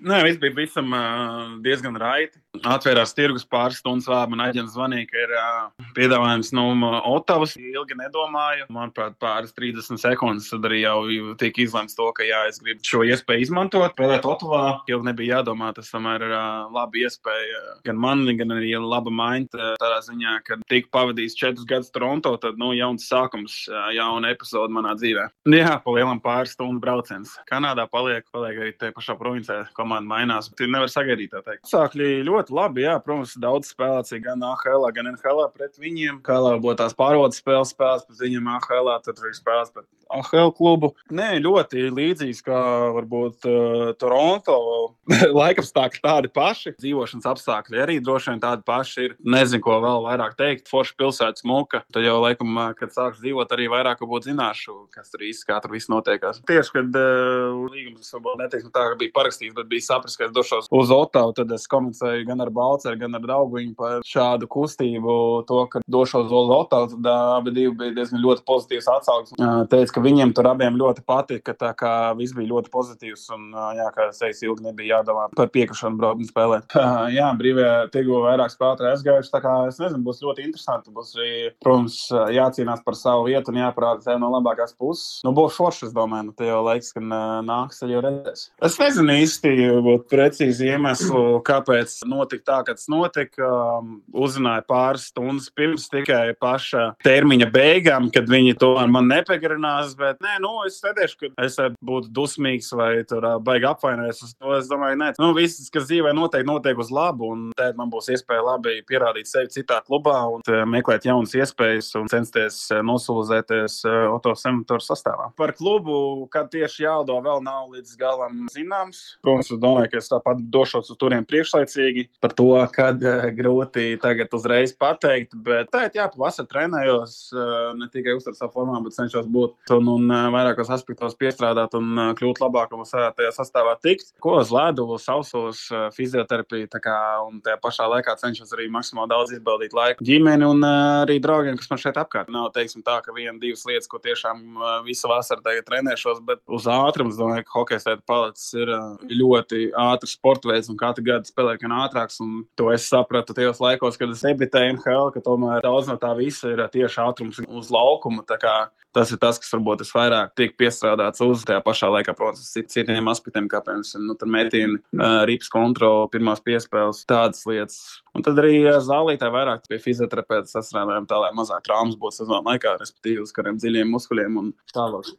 Nē, viss bija visam diezgan raiti. Atvērās tirgus pāris stundas vēl. Man aģents zvanīja, ka ir piedāvājums no Otavas. Ilgi nedomāju. Manuprāt, pāris 30 sekundes tad arī jau tika izlemts to, ka jā, es gribu šo iespēju izmantot. Spēlēt Otavā ilgi nebija jādomā. Tas tomēr ir laba iespēja gan man, gan arī laba maiņa. Tādā ziņā, ka tika pavadījis 4 gadus Toronto, tad jauns sākums, jauna epizode manā dzīvē. Jā, pa lielam pāris stundu brauciens. Kanādā paliek arī te pašā provincē. Komanda mainās. Tu nevar sagaidīt, tā teikt. Sākļi ļoti labi, jā, protams, daudz spēlēts gan AHL, gan NHL pret viņiem. KL būtu tās pārvaldes spēles pret viņiem AHL, tad arī spēles pret AHL klubu. Nē, ļoti līdzīgs kā varbūt Toronto. Laikapstākļi tādi paši. Dzīvošanas apstākļi arī droši vien tādi paši ir. Nezinu, ko vēl vairāk teikt. Forša pilsētas muka. Tad jau laikam, kad sāks dzīvot, arī vairāk būtu zināšu, kas tur īsti, kā tur viss notiekās. Tieši, kad līgums varbūt neteiksim tā, ka bija parakstīts, bet bija saprast, ka es došos uz Otavu, tad es komunicēju gan ar Balceru, gan ar Dauguņu par šādu kustību, to, ka došos uz Otavu, tad abi divi bija diezgan ļoti pozitīvs atsauksmes. Teica, ka viņiem tur abiem ļoti patika, tā kā viss bija ļoti pozitīvs un, jā, kā es teicu, ilgi nebija jādomā par piekrišanu braukt un spēlēt. Jā, brīvajā tirgu vairāk spēlētāji aizgājuši, tā kā es nezinu, būs ļoti interesanti. Būs arī, protams, jācīnās par savu vietu un jāparāda sev no labākās puses. Būs forši, es domāju, te jau laiks, kad nāks, tad jau redzēs. Es nezinu īsti precīzi iemeslu, kāpēc notika tā, kad tas notika. Uzzināju pāris stundas pirms tikai paša termiņa beigām, kad viņi to man nepagarinās, bet nē, es sēdēšu, ka es būtu dusmīgs vai tur baigi apvainojies uz to. Es domāju, nē, viss, kas dzīvē notiek uz labu, un tad man būs iespēja labi pierādīt sevi citā klubā un meklēt jaunas iespējas un censties nosulizēties Oto Senatoru sastāvā. Par klubu, kad tieši jādo, vēl nav līdz galam zināms. Protams, es domāju, ka es tāpat došos uz turiem priekšlaicīgi. Par to, kad grūti tagad uzreiz pateikt, bet tā, jā, pavasar trenējos, ne tikai uztver savu formā, bet cenšos būt un vairākos aspektos piestrādāt un kļūt labākam un tajā sastāvā tikt. Ko uz ledu, sausos, fizioterapiju, un tajā pašā laikā cenšos arī maksimāli daudz izbaudīt laiku ģimeni un arī draugiem, kas man šeit apkārt. Nav, teiksim tā, ka 1-2 lietas, ko tiešām visu vasaru tagad trenēšos, bet uz ātrumu, es domāju, ka hokejs tagad palicis ir ļoti ātrs sportveids un katru gadu spēlē gan ātrāks, un to es sapratu tajos laikos, kad es debitēju NHL, ka tomēr daudz no tā visa ir tieši ātrums uz laukuma, tā kā tas ir tas, kas varbūt es vairāk tiek piestrādāts uz tajā pašā laikā, protams, citiem aspektiem, kā piemēram, tur metīni, rips kontroli, pirmās piespēles, tādas lietas. Un tad arī zālītē vairāk pie fizioterapeita sastrādājām tā, lai mazāk traumas būtu sezonu laikā, respektīvi uz kādiem dziļiem muskuļiem un tālāk.